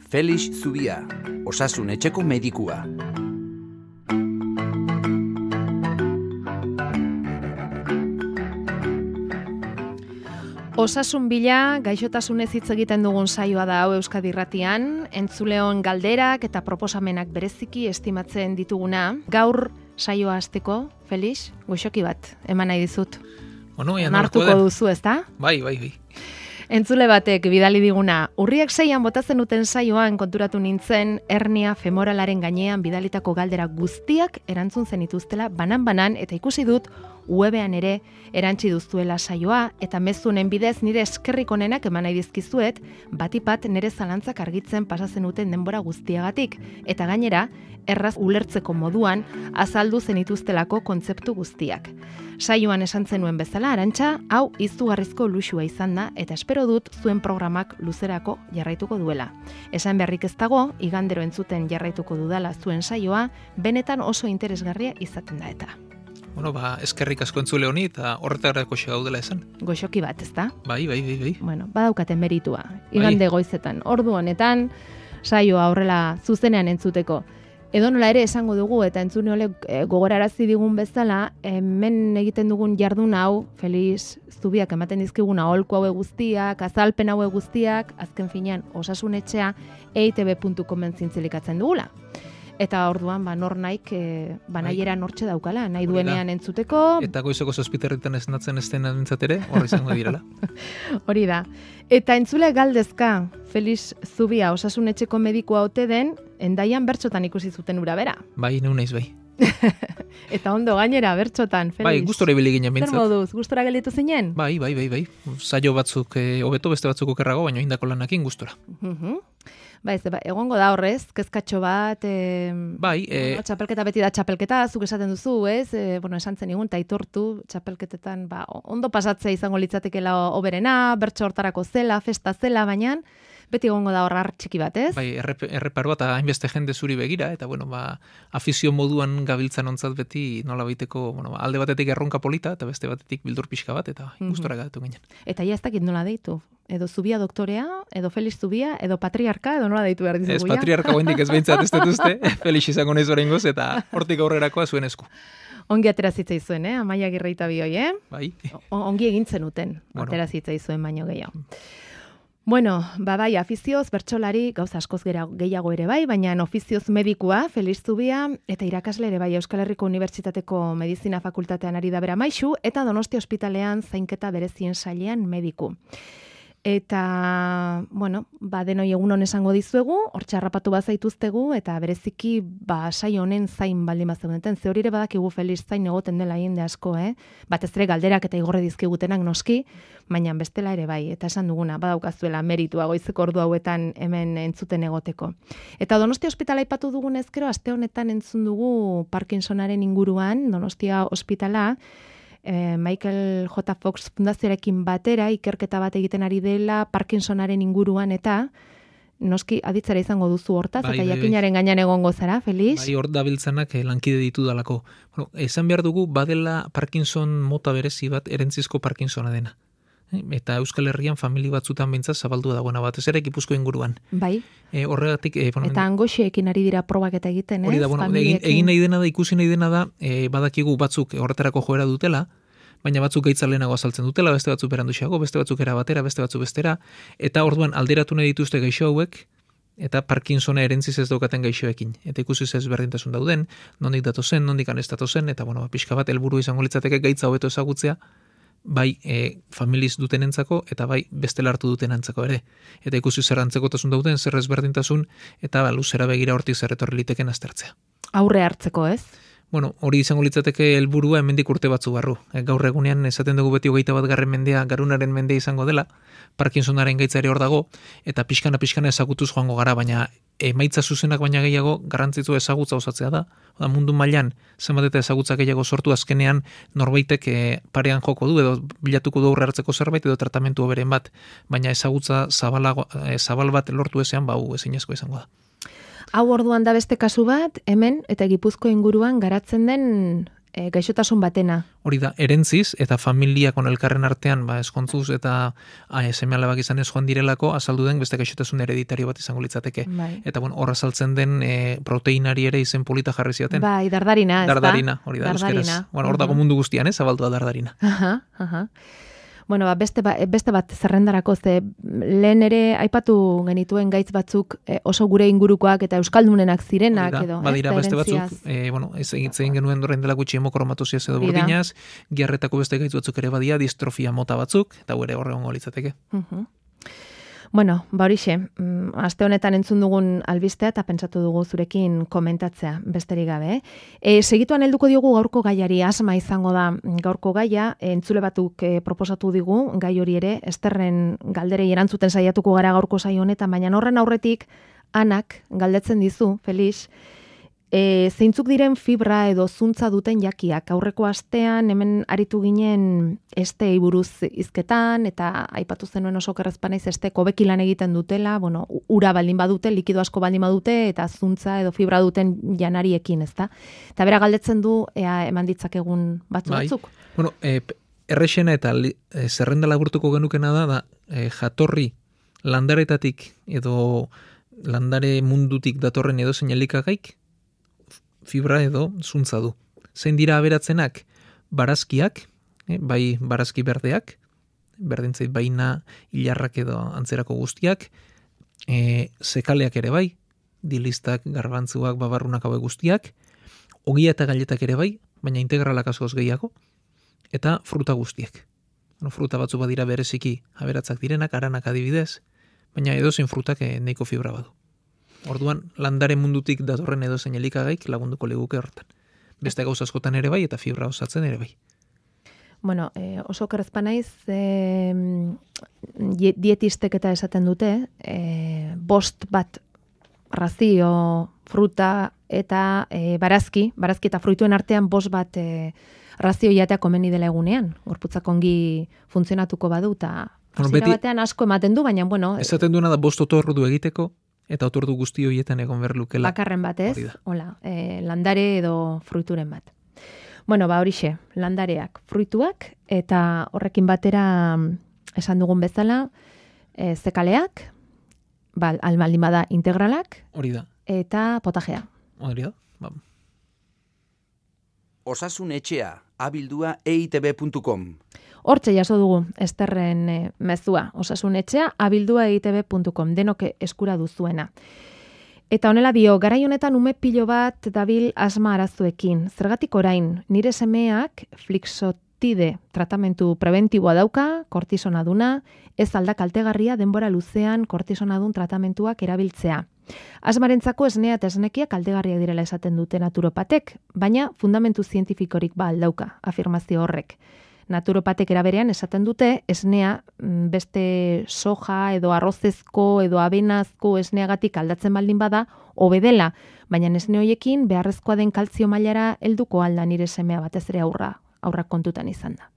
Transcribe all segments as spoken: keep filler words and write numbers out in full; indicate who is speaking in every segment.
Speaker 1: Felix Zubia, osasun etxeko medikua.
Speaker 2: Osasun bila, gaixotasunez hitz egiten dugun saioa da hau Euskadi Irratian, entzuleon galderak eta proposamenak bereziki estimatzen dituguna. Gaur saioa hasteko, Felix, goxoki bat, eman nahi dizut.
Speaker 3: Bueno,
Speaker 2: Nartuko duzu, ezta?
Speaker 3: Bai, bai, bai.
Speaker 2: Entzule batek bidali diguna, urriak seian botatzen duten saioan konturatu nintzen, hernia femoralaren gainean bidalitako galdera guztiak erantzun zenituztela banan-banan, eta ikusi dut webean ere erantzi duztuela saioa, eta mezunen bidez nire eskerrik onenak eman nahi dizkizuet, batipat nire zalantzak argitzen pasatzen duten denbora guztiagatik, eta gainera, erraz ulertzeko moduan azaldu zenituztelako kontzeptu guztiak. Saioan esan zenuen bezala, Arantxa, hau izugarrizko luxua izan da, eta espero dut zuen programak luzerako jarraituko duela. Esan beharrik ez dago, igandero entzuten jarraituko dudala zuen saioa, benetan oso interesgarria izaten da eta.
Speaker 3: Bueno, ba, eskerrik asko entzule honi eta horretarako xe gaudela esan.
Speaker 2: Goxoki bat, ezta?
Speaker 3: Bai, bai, bai, bai.
Speaker 2: Bueno, badaukaten meritua. Igande bai. Goizetan, ordu honetan, saioa horrela zuzenean entzuteko. Edo nola ere esango dugu eta entzune olek e, gogorarazi digun bezala, hemen egiten dugun jardun hau, Felix Zubiak ematen dizkiguna aholku haue guztiak, azalpen haue guztiak, azken finean osasun etxea e i te be puntu comen zintzilikatzen dugula. Eta orduan, ba, nor naik, e, ba, nahiera nortxe daukala, nahi duenean entzuteko.
Speaker 3: Eta goizoko zazpiterritan esnatzen ez den entzatere, horri izango direla.
Speaker 2: Hori da. Eta entzule galdezka, Felix Zubia, osasun etxeko medikua ote den, Endaian bertxotan ikusi zuten ura bera.
Speaker 3: Bai, neu naiz bai.
Speaker 2: Eta ondo gainera, bertxotan, Felix.
Speaker 3: Bai, gustora ibili ginen bintzat.
Speaker 2: Zer moduz, gustora gelditu zinen?
Speaker 3: Bai, bai, bai, bai. Saio batzuk hobeto, beste batzuk okerrago, baina indako lanakin gustora.
Speaker 2: Uh-huh. Ba, ez, ba, egongo da horrez, kezkatxo bat, e,
Speaker 3: bai, e,
Speaker 2: bueno, txapelketa beti da txapelketa, zuk esaten duzu, ez? E, bueno, esan zen igun, taitortu, txapelketetan, ba, ondo pasatzea izango litzatekela oberena, bertso hortarako zela, festa zela, baina beti egongo da horrar txiki bat, ez?
Speaker 3: Bai, erreparoa eta hainbeste jende zuri begira, eta bueno, ba, afizio moduan gabiltzan ontzat beti nola baiteko, bueno, alde batetik erronka polita, eta beste batetik bildur pixka bat, eta mm-hmm. gustora gatu ginen.
Speaker 2: Eta ja ez dakit nola deitu? Edo Zubia doktorea, edo Felix Zubia, edo patriarka, edo nola deitu behar dizugu,
Speaker 3: ez, patriarka goendik ez behintzat ez detuzte, Felix izango naiz oraingoz, eta hortik aurrerakoa zuen esku.
Speaker 2: Ongi aterazitzei zuen, eh? Amaia Girreita bioi, eh?
Speaker 3: Bai.
Speaker 2: O, ongi egintzen uten, bueno. Aterazitzei zuen baino gehiago. Bueno, ba bai, afizioz, bertsolari, gauza askoz gehiago ere bai, baina ofizioz medikua, Felix Zubia, eta irakasle ere bai, Euskal Herriko Unibertsitateko Medizina Fakultatean ari da bera maisu, eta Donostia Ospitalean zainketa berezien sailean mediku. Eta, bueno, ba, denoi egunon esango dizuegu, hortxe harrapatu bazaituztegu, eta bereziki, ba, saio honen zain baldin bazeudenten. Ze hori ere badakigu Felix zain egoten dela jende asko, eh? Batez ere galderak eta igorre dizkigutenak noski, baina bestela ere bai, eta esan duguna, badaukazuela meritua goizeko ordu hauetan hemen entzuten egoteko. Eta Donostia Ospitala aipatu dugun ezkero, aste honetan entzun dugu Parkinsonaren inguruan, Donostia Ospitala, Michael J. Fox Fundazioarekin batera ikerketa bat egiten ari dela Parkinsonaren inguruan, eta noski aditzera izango duzu hortaz, bai, eta bai, jakinaren bai. Gainean egongo zara, Felix?
Speaker 3: Bai, hor dabiltzanak lankide ditu dalako. Bueno, esan behar dugu, badela Parkinson mota berezi bat erentzizko Parkinsona dena. Eta Euskal Herrian famili batzutan bintzat zabaldu dagoena bat, ez ere Gipuzko inguruan.
Speaker 2: Bai.
Speaker 3: E, horregatik... E, bueno,
Speaker 2: eta angoxeekin ari dira probak eta egiten, ez?
Speaker 3: Hori da, bueno, egin, egin nahi dena da, ikusi nahi dena da, e, badakigu batzuk horretarako joera dutela, baina batzuk gaitza lehenago azaltzen dutela, beste batzuk beranduxeago, beste batzuk era batera, beste batzuk bestera, eta orduan alderatu nahi dituzte gaixo hauek, eta Parkinsona erentziz ez daukaten gaixoekin. Eta ikusi ez berdintasun dauden, nondik datozen, nondik anestatozen, eta bueno, pixka bat helburu izango litzateke gaitza hobeto ezagutzea, bai e, familiz dutenentzako eta bai bestela hartu dutenentzako ere. Eta ikusi zer antzekotasun dauden, zer ezberdintasun, eta ba, luzera begira hortik zer etorri liteken aztertzea.
Speaker 2: Aurre hartzeko, ez?
Speaker 3: Bueno, hori izango litzateke helburua hemendik urte batzu barru. E, gaur egunean esaten dugu beti hogeita bat garren mendea, garunaren mendea izango dela, Parkinsonaren gaitza ere hor dago, eta pixkana pixkana ezagutuz joango gara, baina emaitza zuzenak baina gehiago garrantzitsu ezagutza osatzea da. Oda, mundu mailan zenbat eta ezagutza gehiago sortu azkenean norbaitek e, parean joko du edo bilatuko du aurre hartzeko zerbait edo tratamentu hoberen bat, baina ezagutza zabalago, e, zabal bat lortu ezean bau ezinezko izango da.
Speaker 2: Hau orduan da beste kasu bat, hemen eta Gipuzko inguruan garatzen den e, gaixotasun batena.
Speaker 3: Hori da, erentziz eta familiakon elkarren artean, ba, eskontzuz eta seme alabak izan ez joan direlako, azaldu den beste gaixotasun hereditario bat izango litzateke.
Speaker 2: Bai.
Speaker 3: Eta bueno, hor azaltzen den e, proteinari ere izen polita jarri ziaten.
Speaker 2: Bai, dardarina, ez da?
Speaker 3: Dardarina, hori da, euskeraz. Bueno, hor dago mundu guztian, ez, zabaldua dardarina.
Speaker 2: Aha, aha. Bueno, ba, beste, ba, beste bat zerrendarako, ze lehen ere aipatu genituen gaitz batzuk e, oso gure ingurukoak eta euskaldunenak zirenak
Speaker 3: da,
Speaker 2: edo.
Speaker 3: Badira
Speaker 2: ez,
Speaker 3: beste
Speaker 2: herentziaz.
Speaker 3: batzuk, e, bueno, ez egin genuen dorren dela gutxi hemokromatosia edo burdinaz, giarretako beste gaitz batzuk ere badia, distrofia mota batzuk, eta gure horre hongo litzateke.
Speaker 2: Uh-huh. Bueno, ba horixe, mm, aste honetan entzun dugun albistea eta pentsatu dugu zurekin komentatzea, besterik gabe. Eh? E, segituan helduko diogu gaurko gaiari, asma izango da gaurko gaia, entzule batuk e, proposatu digu, gai hori ere, Esterren galderei erantzuten saiatuko gara gaurko saio honetan, baina horren aurretik, Anak galdetzen dizu, Felix, E, zeintzuk diren fibra edo zuntza duten jakiak. Aurreko astean hemen aritu ginen estei buruz hizketan eta aipatu zenuen oso kerrezpanaiz esteko bekilan egiten dutela, bueno, ura baldin badute, likido asko baldin badute eta zuntza edo fibra duten janariekin, ezta? Eta bera galdetzen du ea eman ditzakegun batzu
Speaker 3: bai.
Speaker 2: batzuk.
Speaker 3: Bueno, e, errexena eta li, e, zerrenda laburtuko genukena da, da e, jatorri landaretatik edo landare mundutik datorren edo zein elikagaik fibra edo zuntza du. Zein dira aberatzenak? Barazkiak, eh, bai barazki berdeak, berdintzait baina hilarrak edo antzerako guztiak, e, zekaleak ere bai, dilistak, garbantzuak, babarrunak hauek guztiak, ogia eta galetak ere bai, baina integralak askoz gehiago, eta fruta guztiak. Bueno, fruta batzu badira bereziki aberatzak direnak, aranak adibidez, baina edozein frutak e, neiko fibra badu. Orduan, landare mundutik datorren edozein elikagaik lagunduko leguke hortan. Beste gauza askotan ere bai eta fibra osatzen ere bai.
Speaker 2: Bueno, eh, oso kerrezpa naiz, eh, dietistek eta esaten dute, eh, bost bat razio, fruta eta eh, barazki, barazki eta fruituen artean bost bat eh, razio jatea komeni dela egunean. Gorputzak ongi funtzionatuko badu eta
Speaker 3: bueno,
Speaker 2: hasiera batean asko ematen du, baina bueno...
Speaker 3: Esaten duena da bost otordu egiteko, eta otordu guzti horietan egon behar lukela.
Speaker 2: Bakarren bat ez, hola, eh, landare edo fruituren bat. Bueno, ba horixe, landareak, fruituak, eta horrekin batera esan dugun bezala, e, zekaleak, ba, almaldin bada integralak,
Speaker 3: hori da.
Speaker 2: Eta potajea.
Speaker 3: Hori da, ba.
Speaker 1: Osasun etxea, abildua e i te be puntu com.
Speaker 2: Hortxe jaso dugu, Esterren e, mezua, osasun etxea, abildua e i te be puntu com, denok eskura duzuena. Eta honela dio, garai honetan ume pilo bat dabil asma arazuekin. Zergatik orain, nire semeak flixotide tratamentu preventiboa dauka, kortisonaduna, ez alda kaltegarria denbora luzean kortisonadun tratamentuak erabiltzea. Asmarentzako esnea eta esnekiak kaltegarriak direla esaten dute naturopatek, baina fundamentu zientifikorik ba aldauka, afirmazio horrek. Naturopatek eraberean esaten dute esnea beste soja edo arrozezko edo abenazko esneagatik aldatzen baldin bada hobe dela, baina esne hoiekin beharrezkoa den kaltzio mailara helduko alda nire semea batez ere aurra, aurra kontutan izan da.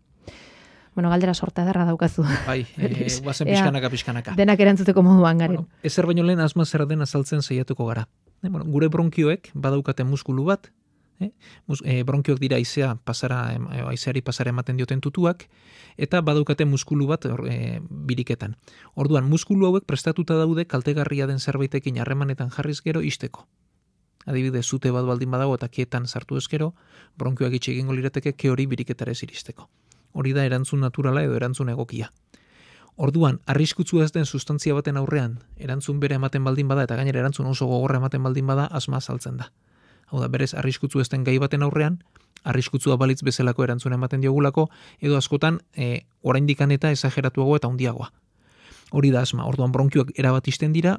Speaker 2: Bueno, galdera sorta ederra daukazu.
Speaker 3: Bai, e, guazen pixkanaka, pixkanaka.
Speaker 2: Denak erantzuteko moduan garen.
Speaker 3: Bueno, ezer baino lehen asma zer den azaltzen saiatuko gara. E, bueno, gure bronkioek badaukate muskulu bat, Eh? E, bronkioak dira aizea pasara, aizeari pasara ematen dioten tutuak, eta badaukate muskulu bat e, biriketan. Orduan, muskulu hauek prestatuta daude kaltegarria den zerbaitekin harremanetan jarriz gero isteko. Adibidez, zute bat baldin badago eta kietan sartu ezkero, bronkioak itxe egingo lirateke ke hori biriketara ez iristeko. Hori da erantzun naturala edo erantzun egokia. Orduan, arriskutsua ez den sustantzia baten aurrean, erantzun bere ematen baldin bada eta gainera erantzun oso gogorra ematen baldin bada, asma azaltzen da. Hau da, berez, arriskutsu ez den gai baten aurrean, arriskutsua balitz bezalako erantzuna ematen diogulako, edo askotan e, oraindikan eta esageratuagoa eta handiagoa. Hori da asma, orduan bronkioak erabat isten dira,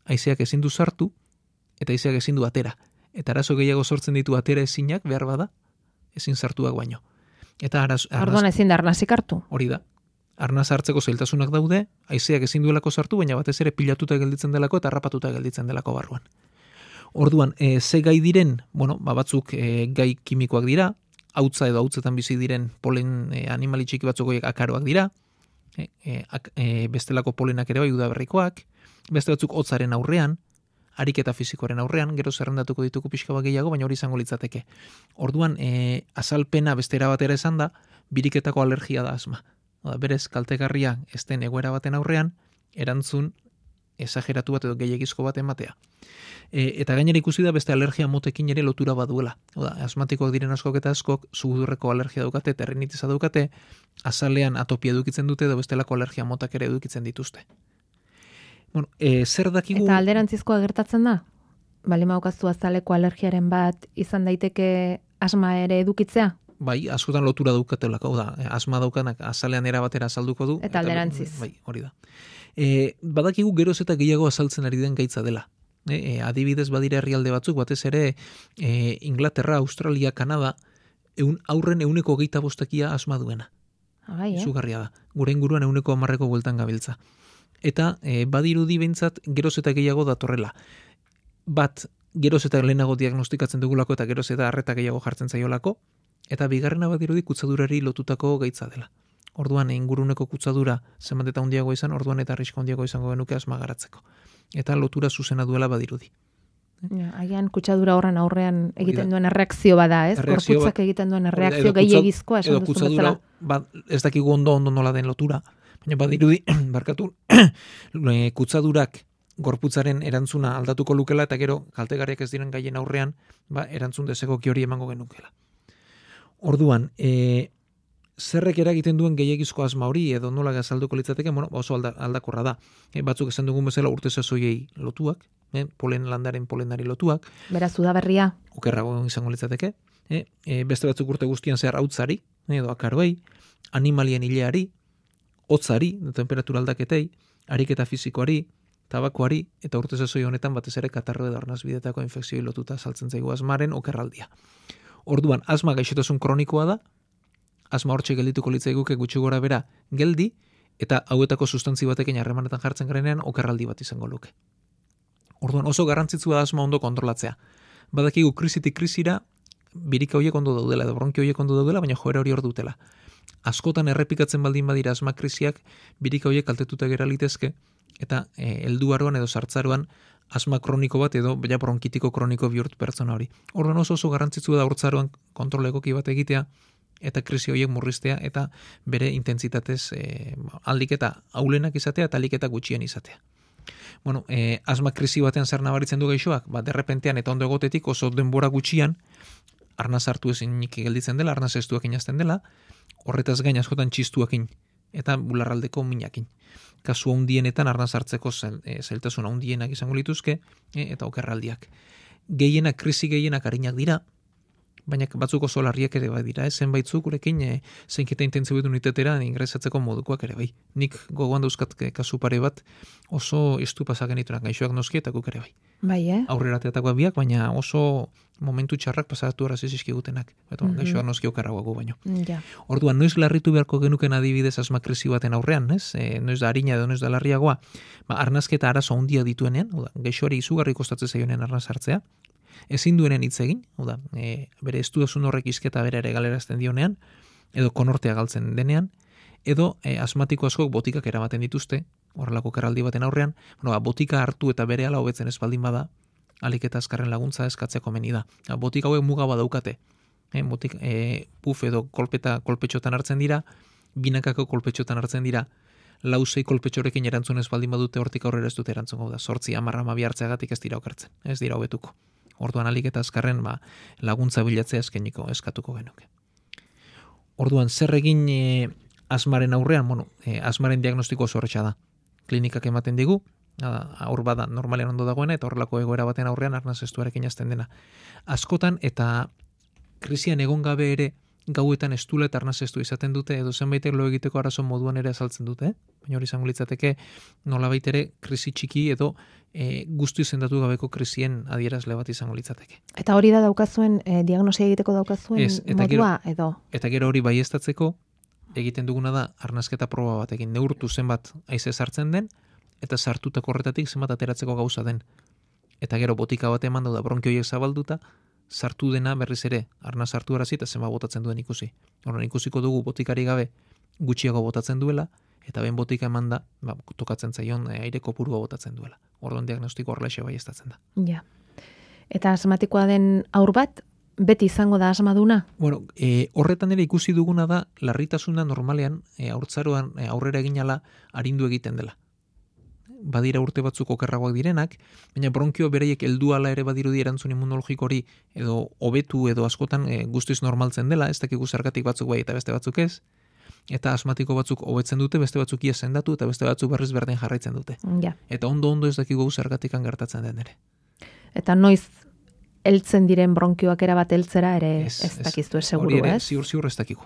Speaker 3: haizeak ezin du sartu, eta haizeak ezin du atera. Eta arazo gehiago sortzen ditu atera ezinak, behar bada, ezin sartuak baino. Eta araz, arnaz,
Speaker 2: orduan ezin da arnazik hartu.
Speaker 3: Hori da. Arnaz hartzeko zailtasunak daude, haizeak ezin duelako sartu, baina batez ere pilatuta gelditzen delako eta harrapatuta gelditzen delako barruan. Orduan, e, ze gai diren, bueno, ba batzuk e, gai kimikoak dira, hautza edo hautzetan bizi diren polen e, animali txiki batzuk goiek akaroak dira, e, e, ak, e, bestelako polenak ere bai udaberrikoak, beste batzuk hotzaren aurrean, ariketa fisikoaren aurrean, gero zerrendatuko ditugu pixka bat gehiago, baina hori izango litzateke. Orduan, e, azalpena beste era batera esan da, biriketako alergia da asma. Oda, berez, kaltegarria ez den egoera baten aurrean, erantzun esageratu bat edo gehiagizko bat ematea. E, eta gainera ikusi da beste alergia motekin ere lotura baduela. Oda, asmatikoak diren askok eta askok, sugudurreko alergia daukate, terrinitiza daukate, azalean atopia edukitzen dute edo bestelako alergia motak ere edukitzen dituzte. Bueno, e, zer dakigu...
Speaker 2: Eta alderantzizkoa gertatzen da? Bali maukaztu azaleko alergiaren bat izan daiteke asma ere edukitzea?
Speaker 3: Bai, askotan lotura daukatelako, da, asma daukanak azalean era batera azalduko du.
Speaker 2: Eta alderantziz.
Speaker 3: Bai, hori da. E, badakigu geroz eta gehiago azaltzen ari den gaitza dela. E, e, adibidez badira herrialde batzuk, batez ere e, Inglaterra, Australia, Kanada, eun, aurren euneko geita bostekia asma duena.
Speaker 2: Bai, eh?
Speaker 3: Zugarria da. Gure inguruan euneko hamarreko bueltan gabiltza. Eta e, badirudi behintzat geroz eta gehiago datorrela. Bat, geroz eta lehenago diagnostikatzen dugulako eta geroz eta arreta gehiago jartzen zaiolako, eta bigarrena badirudi kutsadurari lotutako gaitza dela. Orduan inguruneko kutsadura zenbat eta handiago izan, orduan eta arrisko handiago izango genuke asma garatzeko. Eta lotura zuzena duela badirudi.
Speaker 2: Ja, agian kutsadura horren aurrean egiten duen erreakzio bada, ez?
Speaker 3: Erreakzio
Speaker 2: Gorputzak
Speaker 3: ba,
Speaker 2: egiten duen erreakzio gehiagizkoa esan
Speaker 3: edo
Speaker 2: duzun
Speaker 3: kutsadura,
Speaker 2: bezala.
Speaker 3: ba, ez dakigu ondo ondo nola den lotura, baina badirudi, barkatu, kutsadurak gorputzaren erantzuna aldatuko lukela eta gero kaltegarriak ez diren gaien aurrean, ba, erantzun desegoki hori emango genukela. Orduan, e, zerrek eragiten duen gehiagizko asma hori edo nola gazalduko litzateke, bueno, oso alda, aldakorra da. E, batzuk esan dugun bezala urte sasoiei lotuak, e, polen landaren polenari lotuak.
Speaker 2: Beraz, udaberria.
Speaker 3: Okerrago izango litzateke. E, e, beste batzuk urte guztian zehar hautzari, edo akaroei, animalien hileari, hotzari, temperatura aldaketei, ariketa fisikoari, tabakoari, eta urte sasoi honetan batez ere katarro edo arnazbidetako infekzioi lotuta saltzen zaigu asmaren okerraldia. Orduan, asma gaixotasun kronikoa da, asma hortxe geldituko litzaiguke gutxi gora bera geldi, eta hauetako sustantzi batekin harremanetan jartzen garenean okerraldi bat izango luke. Orduan, oso garrantzitsua da asma ondo kontrolatzea. Badakigu krisitik krisira, birika horiek ondo daudela, edo bronki horiek ondo daudela, baina joera hori hor dutela. Askotan errepikatzen baldin badira asma krisiak, birika horiek kaltetuta gera litezke, eta e, helduaroan edo sartzaroan asma kroniko bat edo ja bronkitiko kroniko bihurt pertsona hori. Orduan oso oso garrantzitsua da hortzaroan kontrol egoki bat egitea, eta krisi horiek murriztea, eta bere intentsitatez e, aldik eta aulenak izatea, eta aldik eta gutxien izatea. Bueno, e, asma krisi batean zer nabaritzen du gaixoak, ba, derrepentean eta ondo egotetik oso denbora gutxian, arnaz hartu ezinik gelditzen dela, arnaz estuak inazten dela, horretaz gain askotan txistuakin, eta bularraldeko minakin. Kasu handienetan arnaz hartzeko zel, e, zeltasuna handienak izango lituzke, e, eta okerraldiak. Gehienak, krisi gehienak arinak dira, baina batzuk oso larriak ere bai dira, zenbaitzuk gurekin e, zeinketa intentsiboetu unitetera ingresatzeko modukoak ere bai. Nik gogoan dauzkat kasu pare bat oso estu pasagen ditunak gaixoak noski eta guk ere bai.
Speaker 2: Bai, eh?
Speaker 3: Aurrera teatakoak biak, baina oso momentu txarrak pasatu arazi zizkigutenak. Eta mm -hmm. gaixoak noski okarragoago baino.
Speaker 2: Ja.
Speaker 3: Orduan, noiz larritu beharko genuken adibidez asma krisi baten aurrean, ez? E, noiz da harina edo noiz da larriagoa, ba, arnazketa arazo handia dituenean, oda, gaixoari izugarri kostatzen zaionean arnaz hartzea, ezin duenen hitz egin, oda, e, bere estudasun horrek izketa bere ere galerazten dionean, edo konortea galtzen denean, edo e, asmatiko askok botikak eramaten dituzte, horrelako kerraldi baten aurrean, bueno, ba, botika hartu eta bere ala hobetzen ez baldin bada, alik eta azkarren laguntza eskatzea komeni da. Ba, botika hauek muga badaukate, e, botik, e, puf edo kolpeta kolpetxotan hartzen dira, binakako kolpetxotan hartzen dira, lauzei kolpetxorekin erantzunez baldin badute hortik aurrera ez dute erantzungo da, sortzi amarra amabi hartzeagatik ez dira okertzen, ez dira hobetuko. Orduan alik eta azkarren ba, laguntza bilatzea eskeniko eskatuko genuke. Orduan zer egin e, asmaren aurrean, bueno, e, asmaren diagnostiko oso horretxa da. Klinikak ematen digu, aur bada normalean ondo dagoena, eta horrelako egoera baten aurrean arnaz estuarekin azten dena. Askotan eta krisian egon gabe ere gauetan estula eta arnaz estu izaten dute, edo zenbaitek lo egiteko arazo moduan ere azaltzen dute, eh? Baina hori izango litzateke nolabait ere krisi txiki edo e, guztu izendatu gabeko krisien adierazle bat izango litzateke.
Speaker 2: Eta hori da daukazuen, e, diagnosia egiteko daukazuen
Speaker 3: Ez, eta
Speaker 2: modua,
Speaker 3: gero,
Speaker 2: edo?
Speaker 3: Eta gero hori baieztatzeko egiten duguna da arnazketa proba batekin neurtu zenbat haize sartzen den, eta sartutako horretatik zenbat ateratzeko gauza den. Eta gero botika bat eman da bronkioiek zabalduta, sartu dena berriz ere, arnaz sartu arazi eta zenbat botatzen duen ikusi. Horren ikusiko dugu botikari gabe gutxiago botatzen duela, eta ben botika eman da, ba, tokatzen zaion e, aire kopurua botatzen duela. Orduan diagnostiko horrelaxe baieztatzen da.
Speaker 2: Ja. Eta asmatikoa den haur bat, beti izango da asmaduna?
Speaker 3: Bueno, e, horretan ere ikusi duguna da, larritasuna normalean, e, haurtzaroan e, aurrera eginala arindu egiten dela. Badira urte batzuk okerragoak direnak, baina bronkio beraiek heldu ala ere badirudi erantzun immunologiko hori edo hobetu edo askotan e, guztiz normaltzen dela, ez dakigu zergatik batzuk bai eta beste batzuk ez, eta asmatiko batzuk hobetzen dute, beste batzuk ia sendatu eta beste batzuk berriz berdin jarraitzen dute.
Speaker 2: Ja.
Speaker 3: Eta ondo-ondo ez dakigu zergatikan gertatzen den ere.
Speaker 2: Eta noiz heltzen diren bronkioak erabat heltzera ere ez,
Speaker 3: Ez,
Speaker 2: ez
Speaker 3: ez.
Speaker 2: dakizu ez seguru,
Speaker 3: Hori ere,
Speaker 2: ez?
Speaker 3: ziur ziur ez dakigu.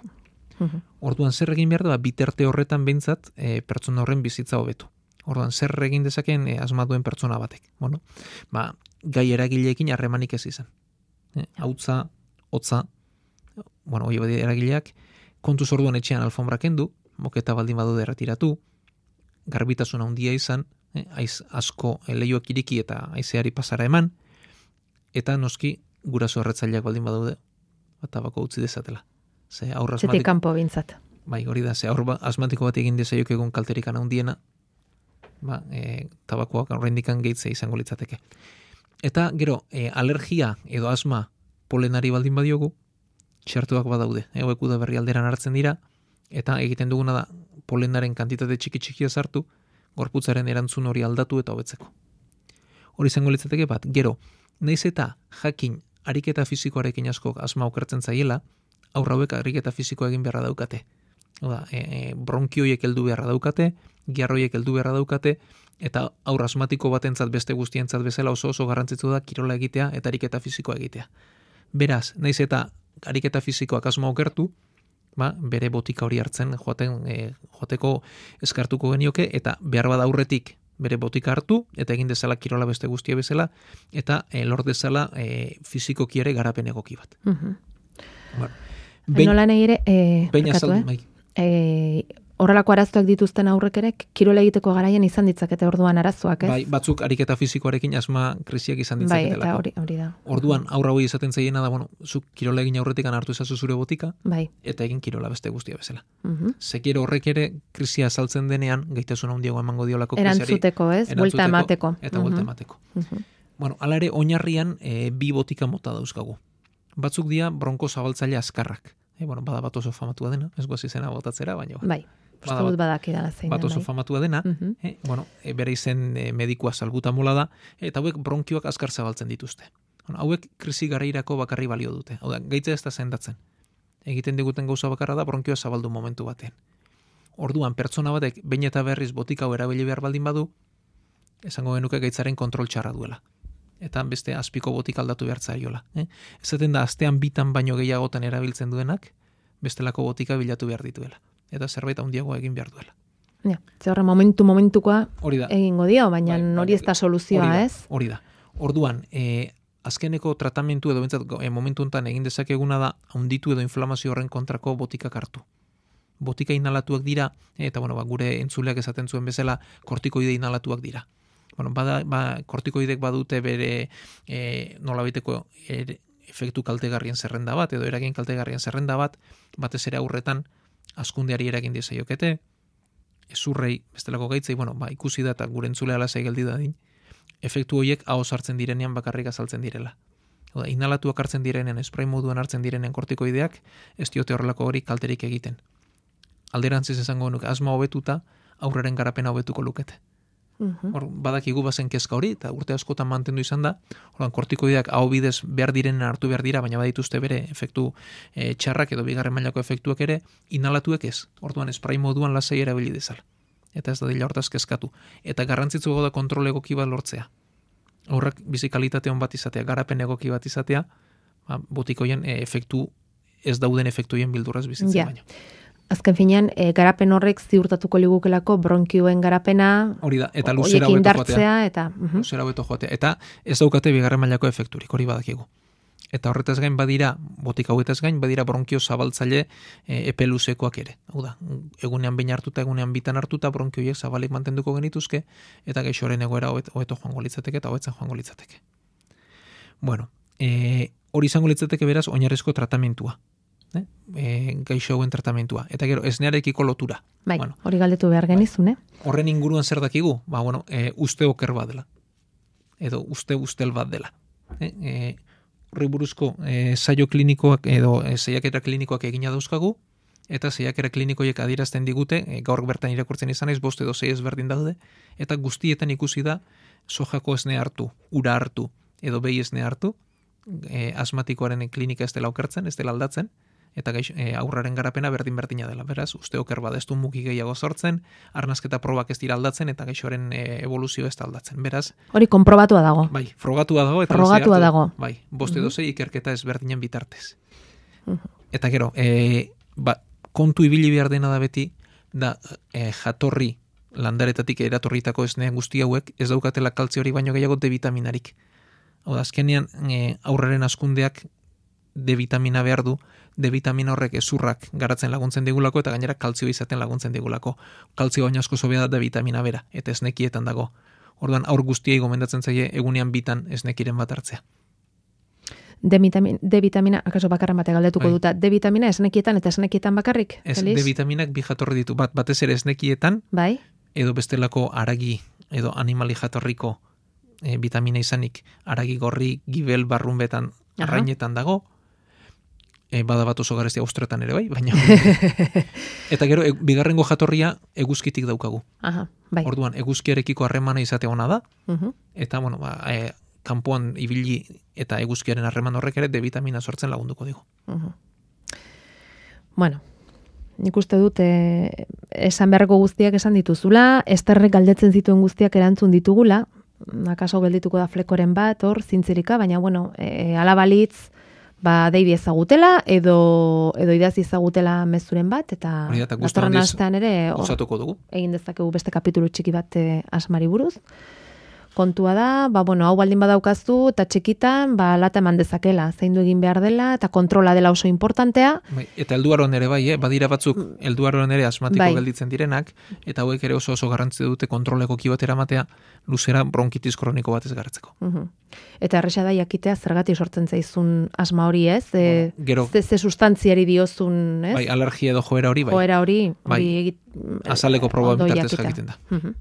Speaker 2: Mhm.
Speaker 3: Orduan zer egin behar da, biterte horretan behintzat e, pertsona horren bizitza hobetu. Orduan zer egin dezakeen e, asma duen pertsona batek. Bueno, ba, gai eragileekin harremanik ez izan. E, hautza, hotza, bueno, hori badi eragileak, kontuz orduan etxean alfombra kendu, moketa baldin badu erretiratu, garbitasuna handia izan, e, aiz asko e, leihoak iriki eta haizeari pasara eman, eta noski guraso erretzaileak baldin badaude, tabako utzi dezatela. Ze aur
Speaker 2: Zetik
Speaker 3: asmatiko,
Speaker 2: kanpo bintzat.
Speaker 3: bai, hori da, ze aur ba- asmatiko bat egin dezaiok egun kalterikan handiena, ba, e, tabakoak oraindikan gehitzea izango litzateke. Eta gero, e, alergia edo asma polenari baldin badiogu, txertuak badaude, e, hauek udaberri alderan hartzen dira, eta egiten duguna da polenaren kantitate txiki-txikia sartu, gorputzaren erantzun hori aldatu eta hobetzeko. Hori izango litzateke bat, gero, naiz eta jakin ariketa fisikoarekin asko asma okertzen zaiela, aurra hauek ariketa fisikoa egin beharra daukate. Oda, e, e, bronkioiek heldu beharra daukate, giarroiek heldu beharra daukate, eta aur asmatiko batentzat beste guztientzat bezala oso oso garrantzitsu da kirola egitea eta ariketa fisikoa egitea. Beraz, naiz eta ariketa fisikoak asma okertu, ba, bere botika hori hartzen joaten, e, joateko eskartuko genioke, eta behar bada aurretik bere botika hartu, eta egin dezala kirola beste guztia bezala, eta e, lor dezala e, fisikoki ere garapen egoki bat.
Speaker 2: Mhm.
Speaker 3: Bueno, behin,
Speaker 2: Nola nahi ere, e,
Speaker 3: behin
Speaker 2: barkatu,
Speaker 3: azaldu,
Speaker 2: eh?
Speaker 3: bai.
Speaker 2: E, horrelako arazoak dituzten aurrek ere, kirola egiteko garaian izan ditzakete orduan arazoak, ez?
Speaker 3: Bai, batzuk ariketa fisikoarekin asma krisiak izan
Speaker 2: Bai,
Speaker 3: ditzaketelako.
Speaker 2: eta hori, hori da.
Speaker 3: Orduan, aurra hori izaten zaiena da, bueno, zuk kirola egin aurretik hartu ezazu zure botika,
Speaker 2: Bai.
Speaker 3: eta egin kirola beste guztia bezala.
Speaker 2: Mhm.
Speaker 3: Zekero horrek ere krisia saltzen denean, gaitasun handiago emango diolako krisiari.
Speaker 2: Erantzuteko, ez? Buelta emateko.
Speaker 3: Eta buelta
Speaker 2: Mhm.
Speaker 3: emateko.
Speaker 2: Mhm.
Speaker 3: Bueno, ala ere, oinarrian e, bi botika mota dauzkagu. Batzuk dira bronko zabaltzaile azkarrak. E, bueno, bada bat oso famatua dena, ez guaz izena botatzera, baina ba.
Speaker 2: Bai, uste
Speaker 3: Bada
Speaker 2: dut badakidala zein
Speaker 3: bat
Speaker 2: den,
Speaker 3: oso
Speaker 2: bai.
Speaker 3: famatua dena,
Speaker 2: Mhm.
Speaker 3: e, bueno, e, bere izen e, medikua salbutamola da, eta hauek bronkioak azkar zabaltzen dituzte. Bueno, hauek krisi garairako bakarri balio dute. Hau da, gaitza ez da sendatzen. Egiten diguten gauza bakarra da bronkioa zabaldu momentu batean. Orduan, pertsona batek behin eta berriz botika hau erabili behar baldin badu, esango genuke gaitzaren kontrol txarra duela. Eta beste azpiko botika aldatu behar zaiola. Eh? Ezaten da, astean bitan baino gehiagotan erabiltzen duenak, bestelako botika bilatu behar dituela. Eta zerbait handiagoa egin behar duela.
Speaker 2: Ja, ze horre momentu momentukoa
Speaker 3: Hori da.
Speaker 2: egingo dio, baina
Speaker 3: Bai,
Speaker 2: hori ez da soluzioa,
Speaker 3: hori da,
Speaker 2: ez?
Speaker 3: Hori da. Orduan, e, azkeneko tratamentu edo bentsat, e, momentu honetan egin dezakeguna da handitu edo inflamazio horren kontrako botikak hartu. Botika inhalatuak dira, eta bueno, ba, gure entzuleak esaten zuen bezala, kortikoide inhalatuak dira. Bueno, bada, ba, kortikoidek badute bere e, nolabaiteko er, efektu kaltegarrien zerrenda bat, edo eragin kaltegarrien zerrenda bat, batez ere aurretan askundeari eragin diezaiokete, ezurrei, bestelako gaitzei, bueno, ba, ikusi da eta gure entzulea lasai geldi dadin, efektu horiek ahoz hartzen direnean bakarrik azaltzen direla. Oda, inhalatuak hartzen direnean, spray moduan hartzen direnean kortikoideak, ez diote horrelako hori kalterik egiten. Alderantziz esango nuke, asma hobetuta, aurreren garapena hobetuko lukete.
Speaker 2: Mhm.
Speaker 3: Hor, badakigu bazen kezka hori, eta urte askotan mantendu izan da, orduan kortikoideak aho bidez behar direnen hartu behar dira, baina badituzte bere efektu e, txarrak edo bigarren mailako efektuak ere, inhalatuek ez. Orduan spray moduan lasai erabili dezala. Eta ez da dila hortaz kezkatu. Eta garrantzitsu da kontrol egoki bat lortzea. Horrak bizi kalitate on bat izatea, garapen egoki bat izatea, ba, botikoien e, efektu, ez dauden efektuien bildurraz bizitzen
Speaker 2: Ja.
Speaker 3: baino.
Speaker 2: Azken finean, e, garapen horrek ziurtatuko ligukelako bronkioen garapena,
Speaker 3: Hori da, eta luzera
Speaker 2: hoiekin
Speaker 3: hobeto joatea.
Speaker 2: indartzea, eta... mhm.
Speaker 3: Luzera hobeto joatea. Eta ez daukate bigarren mailako efekturik, hori badakigu. Eta horretaz gain badira, botika hauetaz gain, badira bronkio zabaltzaile e, epe luzekoak ere. Hau da, egunean behin hartuta, egunean bitan hartuta, bronkioiek zabalik mantenduko genituzke, eta gaixoren egoera hobet- hobeto joango litzateke eta hobetzen joango litzateke. Bueno, e, hori izango litzateke beraz oinarrizko tratamentua. eh? E, gaixo hauen tratamentua. Eta gero, esnearekiko lotura.
Speaker 2: Bai,
Speaker 3: Bueno,
Speaker 2: hori galdetu behar genizun, eh?
Speaker 3: horren inguruan zer dakigu? Ba, bueno, e, uste oker bat dela. Edo uste ustel bat dela. E, e, horri buruzko e, saio klinikoak edo e, saiakera klinikoak egina dauzkagu, eta saiakera klinikoiek adierazten digute, e, gaur bertan irakurtzen izan ez, bost edo sei ezberdin daude, eta guztietan ikusi da sojako esne hartu, ura hartu, edo behi esne hartu, e, asmatikoaren klinika ez dela okertzen, ez dela aldatzen, eta gaix, e, aurraren garapena berdin-berdina dela. Beraz, uste oker bada ez du mugi gehiago sortzen, arnasketa probak ez dira aldatzen, eta gaixoaren e, evoluzio ez da aldatzen. Beraz,
Speaker 2: Hori konprobatua dago.
Speaker 3: bai, frogatua dago, eta
Speaker 2: Frogatua
Speaker 3: hartu-
Speaker 2: dago.
Speaker 3: Bai, bost edo sei ikerketa ezberdinen bitartez.
Speaker 2: Mhm.
Speaker 3: Eta gero, e, ba, kontu ibili behar dena da beti, da e, jatorri landaretatik eratorritako esne guzti hauek ez daukatela kaltzio hori baino gehiago D vitaminarik. Hau da, azkenean e, aurraren askundeak D vitamina behar du, D vitamina horrek ezurrak garatzen laguntzen digulako eta gainera kaltzio izaten laguntzen digulako. Kaltzio baino asko zobea da D vitamina bera, eta esnekietan dago. Orduan aur guztiei gomendatzen zaie egunean bitan esnekiren bat hartzea.
Speaker 2: D vitamina, D vitamina, akaso bakarren bate galdetuko
Speaker 3: Bai.
Speaker 2: duta, D vitamina esnekietan eta esnekietan bakarrik?
Speaker 3: Ez,
Speaker 2: Feliz?
Speaker 3: D vitaminak bi jatorri ditu, bat batez ere esnekietan,
Speaker 2: Bai?
Speaker 3: edo bestelako aragi edo animali jatorriko e, vitamina izanik, aragi gorri, gibel, barrunbetan,
Speaker 2: Aha.
Speaker 3: arrainetan dago, e, bada bat oso garezia austretan ere bai, baina eta gero, e, bigarrengo jatorria eguzkitik daukagu.
Speaker 2: Aha, bai.
Speaker 3: Orduan, eguzkiarekiko harremana izate ona da,
Speaker 2: Mhm.
Speaker 3: eta bueno, ba, e, kanpoan ibili eta eguzkiaren harreman horrek ere D vitamina sortzen lagunduko digu.
Speaker 2: Mhm. Bueno, nik uste dut eh, esan beharreko guztiak esan dituzula, esterrek galdetzen zituen guztiak erantzun ditugula, akaso geldituko da flekoren bat, hor, zintzirika, baina, bueno, e, ala balitz, ba, deibi ezagutela, edo, edo idazi ezagutela mezuren bat, eta
Speaker 3: Hori da, eta guzti
Speaker 2: datorren
Speaker 3: handiz
Speaker 2: astean ere, hor,
Speaker 3: Osatuko dugu.
Speaker 2: egin dezakegu beste kapitulu txiki bat eh, asmari buruz. Kontua da, ba, bueno, hau baldin badaukazu, eta txikitan, ba, lata eman dezakela, zaindu egin behar dela, eta kontrola dela oso importantea.
Speaker 3: Bai, eta helduaron ere bai, eh? badira batzuk helduaron ere asmatiko
Speaker 2: Bai.
Speaker 3: gelditzen direnak, eta hauek ere oso oso garrantzi dute kontroleko kibatera ematea, luzera bronkitis kroniko bat ez garatzeko.
Speaker 2: Mhm. Eta erresa da jakitea zergatik sortzen zaizun asma hori, ez? E,
Speaker 3: Bueno, gero-
Speaker 2: ze, ze sustantziari diozun, ez?
Speaker 3: Bai, alergia edo joera hori, bai.
Speaker 2: Joera hori,
Speaker 3: Bai.
Speaker 2: hori egit,
Speaker 3: Azaleko proba
Speaker 2: ondo
Speaker 3: bitartez
Speaker 2: jakitea.
Speaker 3: jakiten da.
Speaker 2: Mhm.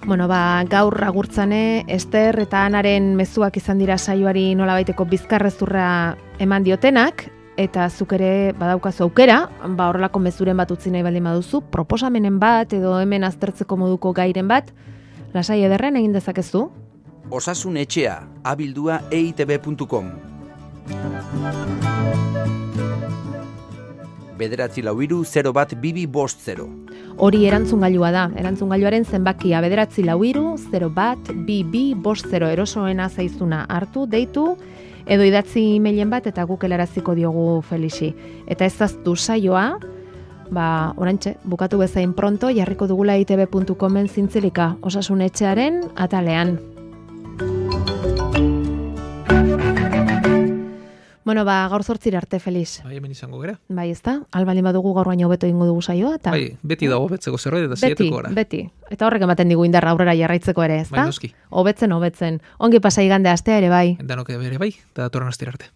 Speaker 2: Bueno, ba, gaur agurtzane, Ester eta Anaren mezuak izan dira saioari nolabaiteko bizkarrezurra eman diotenak, eta zuk ere badaukazu aukera, ba, horrelako mezuren bat utzi nahi baldin baduzu, proposamenen bat edo hemen aztertzeko moduko gairen bat, lasai ederren egin dezakezu.
Speaker 1: Osasun etxea, abildua e i te be puntu com. Bederatzi lau hiru zero bat bibi bost zero.
Speaker 2: Hori erantzungailua da, erantzungailuaren zenbakia bederatzi lau hiru zero bat bi bi bost zero erosoena zaizuna hartu, deitu, edo idatzi e-mailen bat eta guk helaraziko diogu Felixi. Eta ez aztu saioa, ba, orantxe, bukatu bezain pronto, jarriko dugula e i te be puntu comen zintzilika osasun etxearen atalean. Bueno, ba, gaur zortzira arte, Felix.
Speaker 3: Bai, hemen izango gara.
Speaker 2: Bai, ez da? Albalin badugu gaur baino hobeto egingo dugu saioa, eta...
Speaker 3: Bai, beti dago betzeko zerbait eta
Speaker 2: Beti,
Speaker 3: saiatuko gara.
Speaker 2: beti. Eta horrek ematen digu indarra aurrera jarraitzeko ere, ez
Speaker 3: Bai,
Speaker 2: da?
Speaker 3: noski.
Speaker 2: Hobetzen, hobetzen. Ongi pasa igande astea ere bai.
Speaker 3: Danok bere bai, eta datorren astera arte.